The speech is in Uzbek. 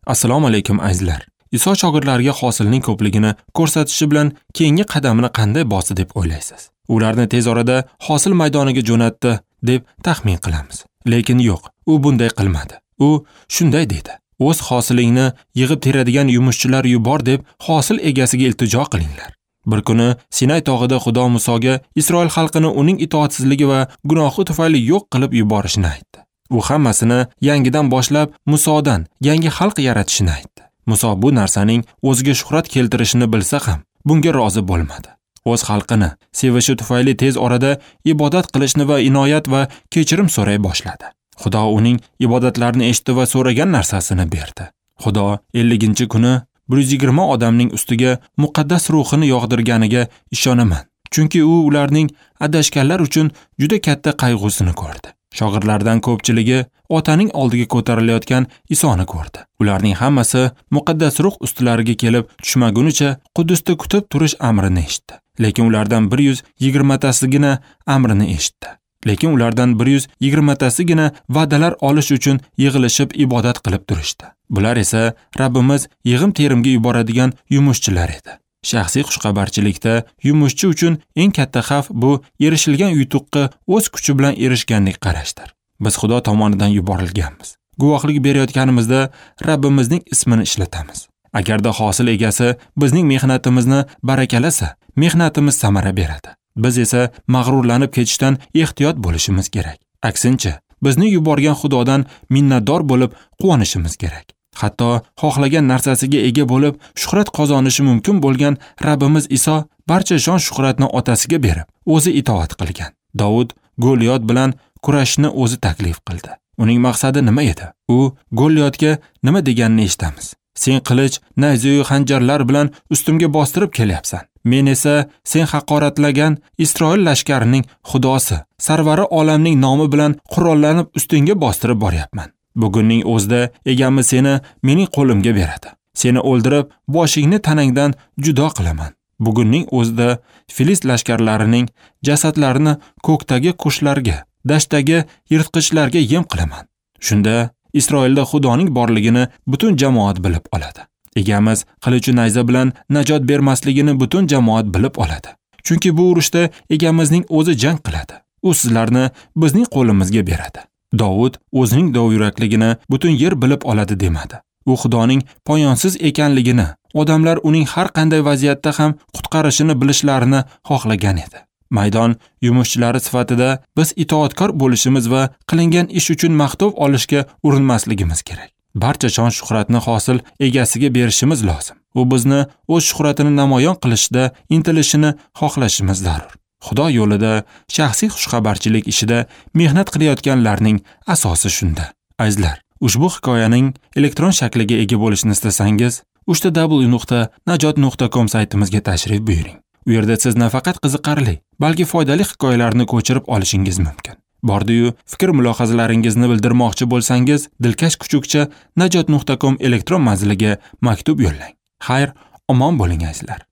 Assalomu alaykum azizlar. Iso shogirdlariga hosilning ko'pligini ko'rsatishi bilan keyingi qadamini qanday bosdi deb o'ylaysiz? Ularni tez orada hosil maydoniga jo'natdi deb taxmin qilamiz. Lekin yo'q, u bunday qilmadi. U shunday dedi: "O'z hosilingni yig'ib teradigan yumushchilar yubor deb hosil egasiga iltijo qilinglar." Bir kuni Sinay tog'ida Xudo Musoga Isroil xalqini uning itoatsizligi va gunohi tufayli yo'q qilib yuborishini aytdi. U hammasini yangidan boshlab Musodan yangi xalq yaratishini aytdi. Muso bu narsaning o'ziga shuhrat keltirishini bilsa ham bunga rozi bo'lmadi. O'z xalqini sevishi tufayli tez orada ibodat qilishni va inoyat va kechirim so'ray boshladi. Xudo uning ibodatlarini eshitdi va so'ragan narsasini berdi. Xudo 50-kuni 120 odamning ustiga muqaddas ruhini yog'dirganiga ishonaman. Chunki u ularning adashganlar uchun juda katta qayg'usini ko'rdi. Shogirdlardan ko'pchiligi otaning oldiga ko'tarilayotgan Isoni ko'rdi. Ularning hammasi muqaddas ruh ustilariga kelib tushmagunicha Quddusda kutib turish amrini eshitdi. Lekin ulardan 120tasigina amrini eshitdi. Lekin ulardan 120tasigina va'dalar olish uchun yig'ilishib ibodat qilib turishdi. Bular esa Rabbimiz yig'im terimga yuboradigan yumushchilar edi. Shaxsiy xushxabarchilikda yumushchi uchun eng katta xavf bu erishilgan yutuqqa o'z kuchi bilan erishganlik qarashdir. Biz Xudo tomonidan yuborilganmiz. Guvohlik berayotganimizda Rabbimizning ismini ishlatamiz. Agarda hosil egasi bizning mehnatimizni barakalasa, mehnatimiz samara beradi. Biz esa mag'rurlanib ketishdan ehtiyot bo'lishimiz kerak. Aksincha, bizni yuborgan Xudodan minnatdor bo'lib quvonishimiz kerak. Hatto xohlagan narsasiga ega bo'lib shuhrat qozonishi mumkin bo'lgan Rabbimiz Iso barcha shon shuhratni otasiga berib, o'zi itoat qilgan. Davud Goliyot bilan kurashni o'zi taklif qildi. Uning maqsadi nima edi? U Goliyotga nima deganini eshitamiz. Sen qilich, nayzayu xanjarlar bilan ustimga bostirib kelyapsan. Men esa sen haqoratlagan Isroil lashkarining xudosi, sarvari olamning nomi bilan qurollanib ustingga bostirib boryapman. Bugunning o'zida egamiz seni mening qo'limga beradi. Seni o'ldirib, boshingni tanangdan judo qilaman. Bugunning o'zida Filist lashkarlarining jasadlarini ko'kdagi qushlarga, dashtdagi yirtqichlarga yem qilaman. Shunda Isroilda Xudoning borligini butun jamoat bilib oladi. Egamiz qilichu nayza bilan najot bermasligini butun jamoat bilib oladi. Chunki bu urushda egamizning o'zi jang qiladi. U sizlarni bizning qo'limizga beradi. Davud o'zining dovyurakligini butun yer bilib oladi demadi. U Xudoning poyonsiz ekanligini, odamlar uning har qanday vaziyatda ham qutqarishini bilishlarini xohlagan edi. Maydon yumushchilari sifatida biz itoatkor bo'lishimiz va qilingan ish uchun maqtov olishga urinmasligimiz kerak. Barcha shon shuhratni hosil egasiga berishimiz lozim. U bizni o'z shuhratini namoyon qilishda intilishini xohlashimiz zarur. Xudo yo'lida shaxsiy xushxabarchilik ishida mehnat qilayotganlarning asosi shunda. Azizlar, ushbu hikoyaning elektron shakliga ega bo'lishni istasangiz, www.najot.com saytimizga tashrif buyuring. U yerda siz nafaqat qiziqarli, balki foydali hikoyalarni ko'chirib olishingiz mumkin. Bordi-yu, fikr mulohazalaringizni bildirmoqchi bo'lsangiz, dilkash kuchukcha najot.com elektron manziliga maktub yo'llang. Xayr, omon bo'ling azizlar.